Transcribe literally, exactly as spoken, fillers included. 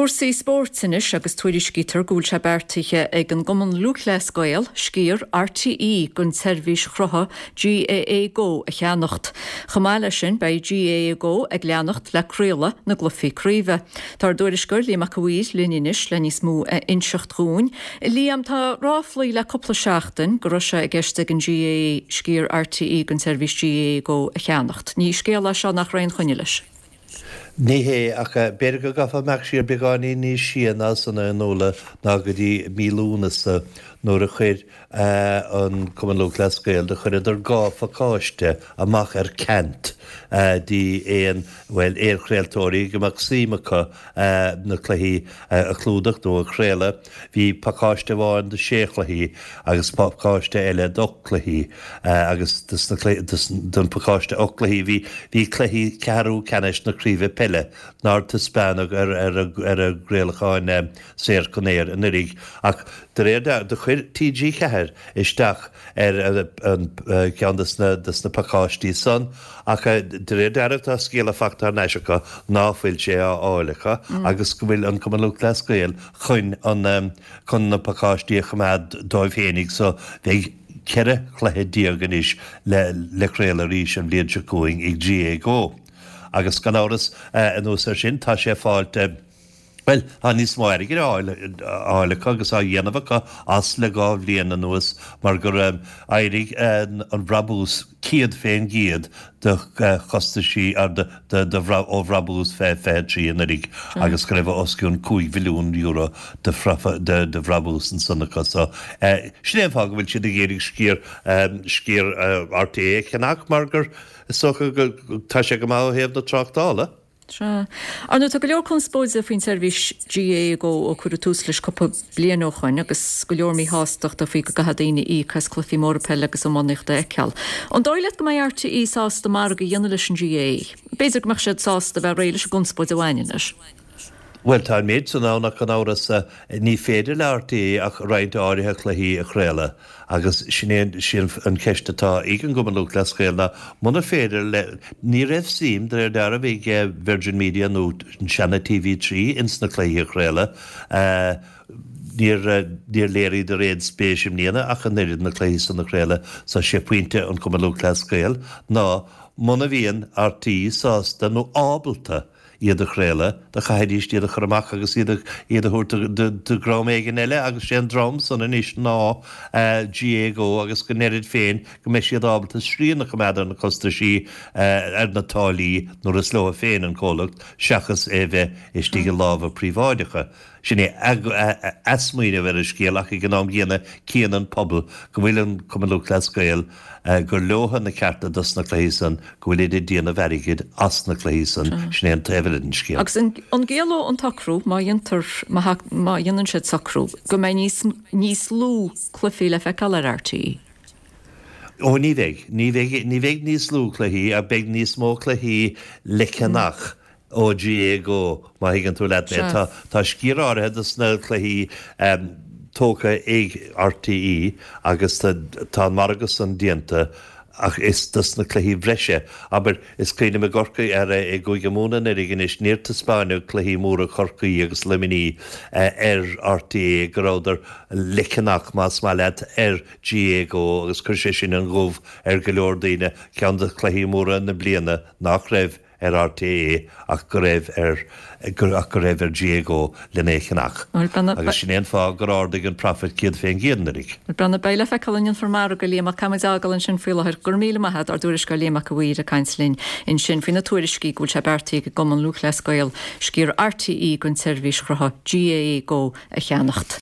Cúrsaí spóirt anois agus tuairiscítear go bhfuil sé beartaithe ag an gCumann Lúthchleas Gael sciar RTÉ den tseirbhís shrutha GAA Go a cheannacht. Chomh maith leis sin beidh GAA Go ag leanacht le craoladh na gcluichí craoibhe. Tá ár dtuairisceoir Liam Mac a' Mhaoir linn anois le níos mó a inseacht dhúinn. Liam tá ráflaí le cúpla seachtain go raibh sé i gceist ag an GAA sciar RTÉ den tseirbhís GAA Go a cheannacht. Ní scéal é seo nach raibh aon choinne leis. Ní hé ach b'fhéidir go gcaithfeá imeacht siar beagáinín níos sia ná san a Fhionnuala ná go dtí mí Lúnasa nuair a chuir an Cumann Lúthchleas Gael do chuireadar dhá phacáiste amach ar ceant dtí aon bhuel aon chraoltóirí go mbeadh suim acu na cluichí a chlúdach nó a chraoladh. Bhí pacáiste amháin do sé chluichí agus pacáiste eile d'ocht cluichí agus don pacáiste ocht cluichí bhí bhí cluichí ceathrú ceannais na craoibhe peile nár taispeánadh ar ar ar a gcraolacháin saor chun aeir anuraidh ach de réir do chuir TG Ceathair isteach ar an ceann de na de na pacáistí san ach de réir dealraimh tá scéala fachta thar n-ais acu ná fuil sé á fháil acu agus go bhfuil an Cumann Lúthchleas Gael chun an chun na pacáistí a choimeád dóibh féinig so bheidh ceithre chluiche déag anois le le craoladh arís an bhliain seo chugainn ag GAA Go. Agus gan amhras anuas ar sin tá sé fáilte Well tá níos mó airgid á fháil acu agus á dhéanamh acu as le dhá bhliain anuas mar gur éirigh an brabús céad faoin gcéad de chostaisí ó bhrabús fiche fiche trí anuraidh agus go raibh os cionn cúig mhilliún euro de de bhrabús ansan acu so sin é an fáth go bhfuil siad ag iarraidh sciar sciar RTÉ a cheannach mar gur is dócha go tá sé go maith ó thaobh na tráchtála. Sea. Ar ndóigh tá go leor conspóide faoin tseirbhís GAA Go ó cuireadh tús leis cúpla bliain ó shoin agus go leor míshástachta faoi go gcaithfidh daoine íoc as cluichí móra peile agus iománaíochta a fheiceáil. An dóigh leat go mbeidh RTÉ sásta margadh a dhéanamh leis an GAA? B'fhéidir go mbeadh siad sásta bheith réidh leis an gconspóid a bhaineann leis. Bhuel tá an méid san ann ach gan amhras ní féidir le RTÉ ach roinnt áirithe cluichí a chraoladh agus sin é sin an cheist atá ag an gCumann Lúthchleas Gael ná muna féidir le ní raibh suim de réir dealraimh ag Virgin Media nó an seana TV trí ins na cluichí a chraoladh. Níor níor léiríodar aon spéis i mbliana ach an oiread na cluichí san a chraoladh so sé pointe an Cumann Lúthchleas Gael ná muna bhíonn RTÉ sásta nó ábalta iad a chraoladh, do chaithfidís iad a chur amach agus iad a iad a thabhairt do do dhream éigin eile agus sé an dream san anois ná GAA Go agus go ndeirid féin go mbeidh siad ábalta srian a choimeád ar na costaisí ar na táillí nuair is leo féin an comhlacht seachas é bheith istigh i lámha príobháideacha. Sin é a smaoineamh ar an scéal ach ag an am gcéanna cíonn an pobal go bhfuil an Cumann Lúthchleas Gael gur leotha na cearta dos na cluichí san, go bhfuilid ag déanamh airgid as na cluichí san, sin é an taobh eile den scéal. Agus an gciallódh an t-socrú, má dhéantar, má dhéanann siad socrú, go mbeidh níos níos lú cluichí le feiceáil ar RTÉ? Ó ní bheidh. Ní bheidh ní bheidh níos lú cluichí ach beidh níos mó cluichí le ceannach. ó GAA Go, má thuigeann tú leat mé. Tá tá sciar áirithe dos na cluichí tógtha ag RTÉ agus tá an margadh san déanta ach is dos na cluichí breise. Abair, is cuimhin liom i gCorcaigh ar i gCúige Mumhan anuraidh anois níor taispeáineadh cluichí móra Chorcaí agus Luimnigh ar RTÉ go rabhadar le ceannach más maith leat ar GAA Go agus chuir sé sin an gomh ar go leor daoine, ceann de chluichí móra na bliana nach raibh ar RTÉ ach go raibh ar ach go raibh ar GAA Go lena é cheannach. Agus sin é an fáth gur ardaigh an profit céad fén gcéad anuraidh. Breathnaigh, beidh le feiceáil an ndéanfar margadh, a Liam, ach caithfimid é a fhágáil ansin faoi láthair. Go raibh míle maith agat, ár dtuairisceoir Liam Mac a' Mhaoir ag caint linn ansin faoi na tuairiscí go bhfuil sé beartaithe ag an gCumann Lúthchleas Gael sciar RTÉ den tseirbhís shrutha GAA Go a cheannacht.